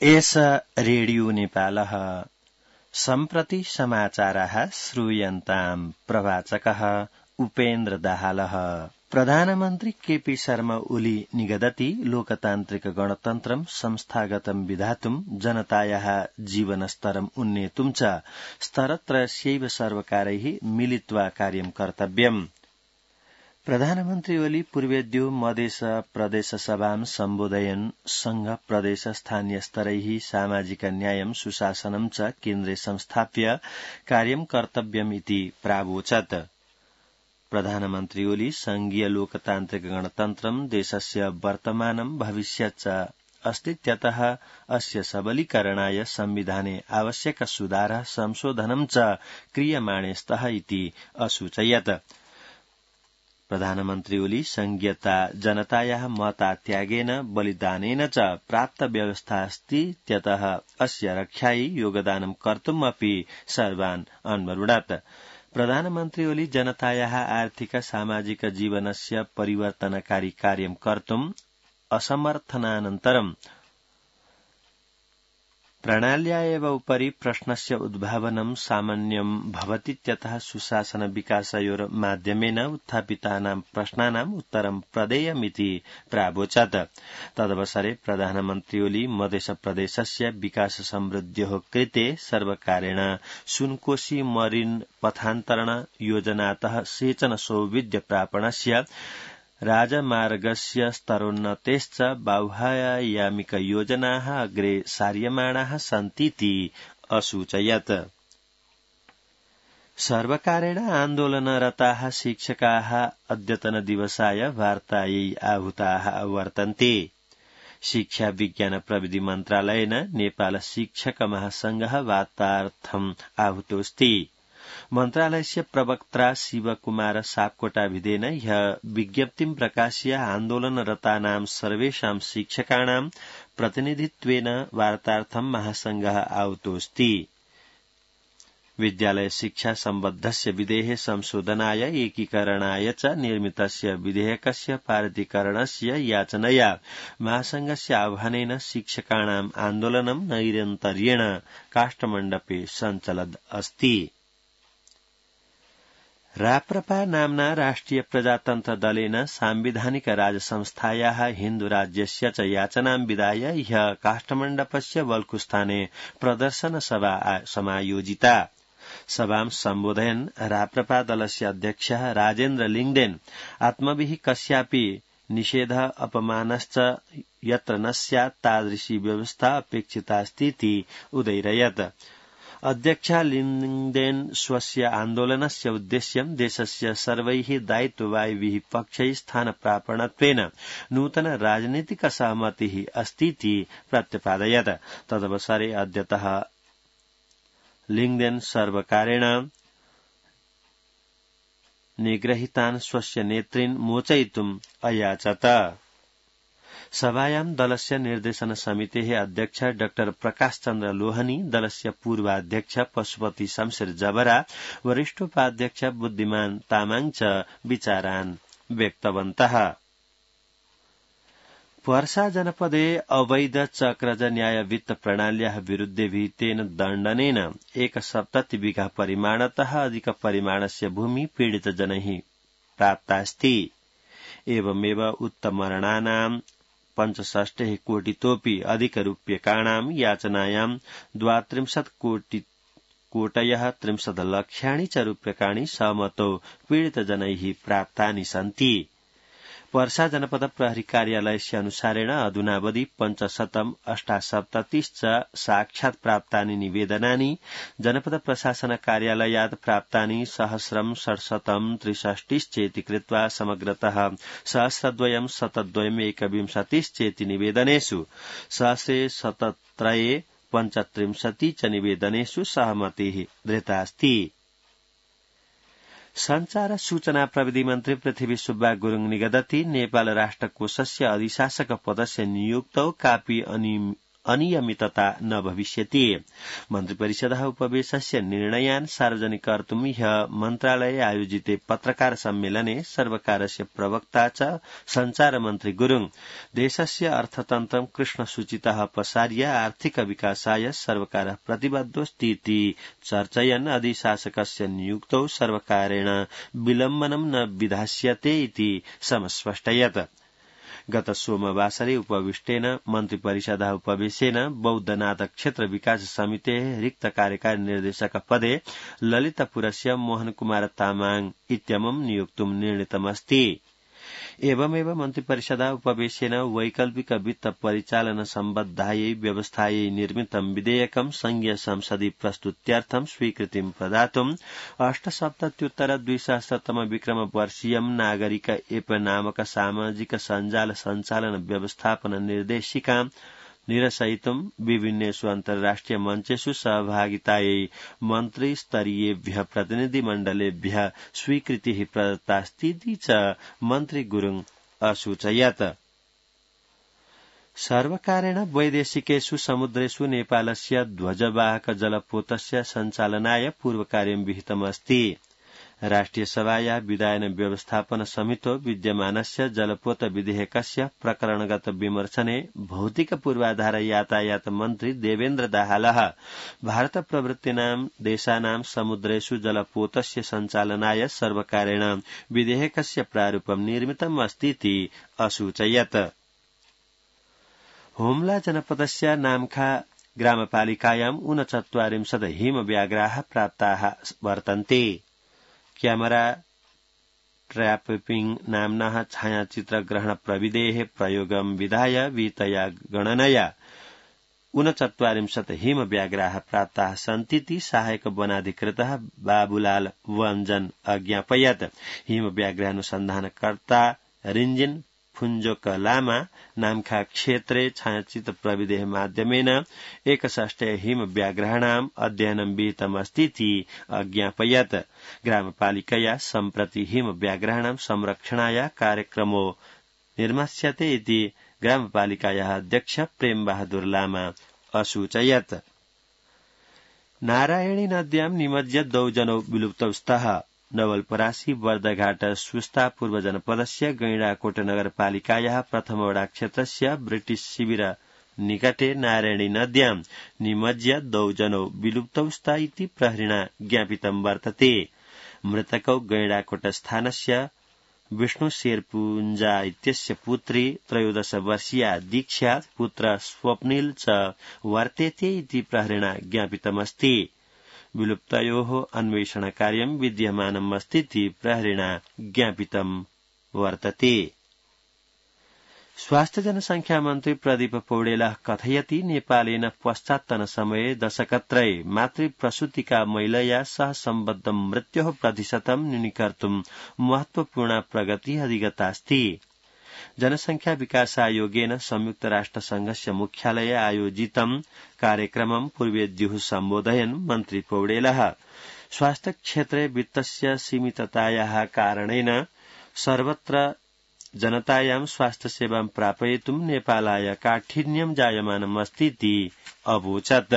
एष रेडियो नेपालः सम्प्रति समाचाराः श्रूयन्ताम् प्रवाचकः उपेन्द्र दाहालः। प्रधानमन्त्री केपी शर्मा ओली निगदति लोकतान्त्रिक गणतन्त्रं संस्थागतं विधातुं जनतायाः जीवनस्तरम् उन्नेतुं च स्तरत्रयस्यैव सर्वकारैः मिलित्वा कार्यं कर्तव्यम्। प्रधानमन्त्री ओली पूर्वेद्यो मधेस प्रदेश सभां सम्बोधयन् संघ प्रदेश स्थानीय स्तरैः सामाजिक न्यायं सुशासनं च केन्द्रे संस्थाप्य कार्यं कर्तव्यम् इति प्रावोचत्। प्रधानमन्त्री ओली संघीय लोकतान्त्रिक गणतन्त्रं देशस्य वर्तमानं भविष्यत् च अस्तीत्यतः अस्य सबलीकरणाय संविधाने आवश्यक सुधारः संशोधनं च क्रियमाणे स्तः इति असूचयत्। प्रधानमन्त्री ओली संघीयता जनतायाः मतात्यागेन बलिदानेन च प्राप्त व्यवस्था अस्ति त्यतः अस्य रक्षायै योगदानं कर्तुम् अपि सर्वान् अन्वरुणत्। प्रधानमन्त्री ओली जनतायाः आर्थिक सामाजिक जीवनस्य परिवर्तनकारी कार्यं कर्तुम् असमर्थनानन्तरं प्रणाल्या एव उपरि प्रश्नस्य उद्भावनं सामान्यं भवतीत्यतः सुशासन विकासयोः माध्यमेन उत्थापितानां प्रश्नानाम् उत्तरं प्रदेयमिति प्रावोचत्। तदवसरे प्रधानमन्त्री ओली मधेश प्रदेशस्य विकास समृद्ध्योः कृते सर्वकारेण सुनकोशी मरीन पथान्तरण योजनातः सेचन सौविध्य प्रापणस्य राजमार्गस्य स्तरोन्नतेश्च बाह्यायामिक योजनाः अग्रे सार्यमाणाः सन्तीति असूचयत्। सर्वकारेण आन्दोलनरताः शिक्षकाः अद्यतन दिवसाय वार्तायै आहूताः वर्तन्ते। शिक्षा विज्ञान प्रविधि मन्त्रालयेन नेपाल शिक्षक महासंघः वार्तार्थम् आहूतोऽस्ति। मन्त्रालयस्य प्रवक्ता शिवकुमार सापकोटाभिधेन ह्यः विज्ञप्तिं प्रकाश्य आन्दोलनरतानां सर्वेषां शिक्षकाणां प्रतिनिधित्वेन वार्तार्थं महासंघः आहूतोऽस्ति। विद्यालय शिक्षा सम्बद्धस्य विधेः संशोधनाय एकीकरणाय च निर्मितस्य विधेयकस्य पारितीकरणस्य याचनया महासंघस्य आह्वानेन शिक्षकाणाम् आन्दोलनं नैरन्तर्येण काष्ठमण्डपे सञ्चलद् अस्ति। राप्रपा नाम्ना राष्ट्रिय प्रजातन्त्र दलेन सांविधानिक राजसंस्थायाः हिन्दुराज्यस्य च याचनां विधाय ह्यः काष्ठमण्डपस्य वल्कुस्थाने प्रदर्शन सभा समायोजिता। सभां सम्बोधयन् राप्रपा दलस्य अध्यक्षः राजेन्द्र लिङ्गदेन आत्मभिः कस्यापि निषेधः अपमानश्च यत्र न स्यात् तादृशी व्यवस्था अपेक्षितास्तीति उदैरयत्। अध्यक्षः लिङ्गदेन स्वस्य आन्दोलनस्य उद्देश्यं देशस्य सर्वैः दायित्ववाहिभिः पक्षैः स्थानप्रापणत्वेन नूतन राजनीतिक सहमतिः अस्तीति प्रत्यपादयत्। तदवसरे अद्यतः लिङ्गदेन सर्वकारेण निगृहीतान् स्वस्य नेतॄन् मोचयितुम् अयाचत। सभायां दलस्य निर्देशन समितेः अध्यक्ष डॉ प्रकाश चन्द्र लोहनी, दलस्य पूर्वाध्यक्ष पशुपति शमशेर जबरा, वरिष्ठोपाध्यक्ष बुद्धिमान तामाङ च विचारान् व्यक्तवन्तः। पर्सा जनपदे अवैध चक्रज न्याय वित्त प्रणाल्याः विरुद्धे विहितेन दण्डनेन 170 बिघा परिमाणतः अधिक परिमाणस्य भूमि पीडितजनैः प्राप्तास्ति। एवमेव उत्तमरणानां 65 कोटितोऽपि अधिकरूप्यकाणां याचनायां 32 कोटयः 30 लक्षाणि च रूप्यकाणि सहमतौ पीडितजनैः प्राप्तानि सन्ति। पर्सा जनपद प्रहरी कार्यालयस्य अनुसारेण अधुनावधि 578 च साक्षात् प्राप्तानि निवेदनानि, जनपद प्रशासन कार्यालयात् प्राप्तानि 1067 चेति कृत्वा समग्रतः 1002 चेति निवेदनेषु 117 च निवेदनेषु सहमतिः दृतास्ति। संचार सूचना प्रविधि मन्त्री पृथ्वी सुब्बा गुरुङ निगदति नेपाल राष्ट्रकोषस्य अधिशासक पदस्य नियुक्तौ कापी अनियमितता न भविष्यति। मन्त्रिपरिषदः उपवेशस्य निर्णयान् सार्वजनिक कर्तुं ह्यः मन्त्रालये आयोजिते पत्रकार सम्मेलने सर्वकारस्य प्रवक्ता च सञ्चारमन्त्री गुरुङ देशस्य अर्थतन्त्रं कृष्णसूचितः अपसार्य आर्थिक विकासाय सर्वकारः प्रतिबद्धोऽस्तीति चर्चयन् अधिशासकस्य नियुक्तौ सर्वकारेण विलम्बनं न विधास्यते इति समस्पष्टयत्। गत सोमवासरे उपविष्टेन मन्त्रिपरिषदः उपवेशेन बौद्धनाथ क्षेत्र विकास समितेः रिक्त कार्यकारी निर्देशक पदे ललितपुरस्य मोहनकुमार तामाङ इत्यमुं नियोक्तुं निर्णीतमस्ति। एवमेव मन्त्रिपरिषदः उपवेशेन वैकल्पिक वित्त परिचालन सम्बद्धायै व्यवस्थायै निर्मितं विधेयकं संघीय संसदि प्रस्तुत्यर्थं स्वीकृतिं प्रदातुं 870-2000 विक्रम वर्षीयं नागरिक एप नामक सामाजिक सञ्जाल सञ्चालन व्यवस्थापन निर्देशिकां निरसयितुं विभिन्नेषु अन्तर्राष्ट्रिय मञ्चेषु सहभागितायै मन्त्रिस्तरीयेभ्यः प्रतिनिधिमण्डलेभ्यः स्वीकृतिः प्रदत्तास्तीति च मन्त्री गुरुङ असूचयत्। सर्वकारेण वैदेशिकेषु समुद्रेषु नेपालस्य ध्वजवाहक जलपोतस्य सञ्चालनाय पूर्वकार्यं विहितमस्ति। राष्ट्रिय सभाया विधायन व्यवस्थापन समितो विद्यमानस्य जलपोत विधेयकस्य प्रकरणगत विमर्शने भौतिक पूर्वाधार यातायात मन्त्री देवेन्द्र दाहालः भारत प्रवृत्तीनां देशानां समुद्रेषु जलपोतस्य सञ्चालनाय सर्वकारेण विधेयकस्य प्रारूपं निर्मितम् अस्तीति असूचयत्। हुम्ला जनपदस्य नाम्खा ग्रामपालिकायां 39 हिमव्याघ्राः प्राप्ताः वर्तन्ते। क्यामेरा ट्र्यापिंग नाम्नः छायाचित्रग्रहण प्रविधेः प्रयोगं विधाय वितया गणनया 39 हिमव्याघ्राः प्राप्ताः सन्तीति सहायक वनाधिकृतः बाबुलाल वञ्जन अज्ञापयत्। हिमव्याघ्रानुसन्धानकर्ता रिञ्जिन फुञ्जोक लामा नाम्खा क्षेत्रे छायाचित्र प्रविधेः माध्यमेन 61 हिमव्याघ्राणाम् अध्ययनं विहितमस्तीति अज्ञापयत्। ग्रामपालिकया सम्प्रति हिमव्याघ्राणां संरक्षणाय कार्यक्रमो निर्मास्यते इति ग्रामपालिकायाः अध्यक्ष प्रेम बहादुर लामा असूचयत्। नारायणी नद्यां निमज्य 2 जनौ विलुप्तौ स्तः। नवलपरासी बर्दघाट सुस्ता पूर्व जनपदस्य गैंडाकोट नगरपालिकायाः प्रथमवडा क्षेत्रस्य ब्रिटिश शिविर निकटे नारायणी नद्यां निमज्य 2 जनौ विलुप्तौ स्तः इति प्रहरिणा ज्ञापितं वर्तते। मृतकौ गैंडाकोट स्थानस्य विष्णु शेरपुञ्जा इत्यस्य पुत्री 13 वर्षीया दीक्षा पुत्र स्वप्निल च वर्तेते इति प्रहरिणा ज्ञापितमस्ति। विलुप्तयोः अन्वेषणकार्यं विद्यमानम् अस्तीति प्रहरिणा ज्ञापितं वर्तते। स्वास्थ्य जनसंख्या मन्त्री प्रदीप पौडेलः कथयति नेपालेन पश्चात्तनसमये दशकत्रये मातृप्रसूतिका महिलया सह सम्बद्धं मृत्योः प्रतिशतं न्यूनीकर्तुं महत्वपूर्णा प्रगतिः अधिगतास्ति। जनसंख्या विकास आयोगेन संयुक्त राष्ट्र संघस्य मुख्यालये आयोजितं कार्यक्रमं पूर्वेद्युः सम्बोधयन् मन्त्री पौडेलः स्वास्थ्य क्षेत्रे वित्तस्य सीमिततायाः कारणेन सर्वत्र जनतायां स्वास्थ्य सेवां प्रापयितुं नेपालाय काठिन्यं जायमानम् अस्तीति अवोचत्।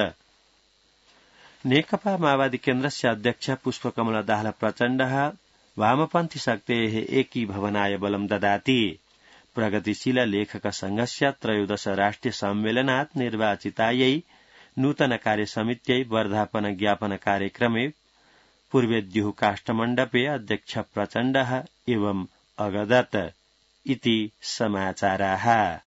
नेकपा माओवादी केन्द्रस्य अध्यक्ष पुष्पकमल दाहाल प्रचण्डः वामपन्थी शक्तेः एकीभवनाय बलं ददाति। प्रगतिशील लेखक संघस्य 13 राष्ट्रिय सम्मेलनात् निर्वाचितायै नूतन कार्यसमित्यै वर्धापन ज्ञापन कार्यक्रमे पूर्वेद्युः काष्ठमण्डपे अध्यक्ष प्रचण्डः एवं अगदत् इति समाचाराः।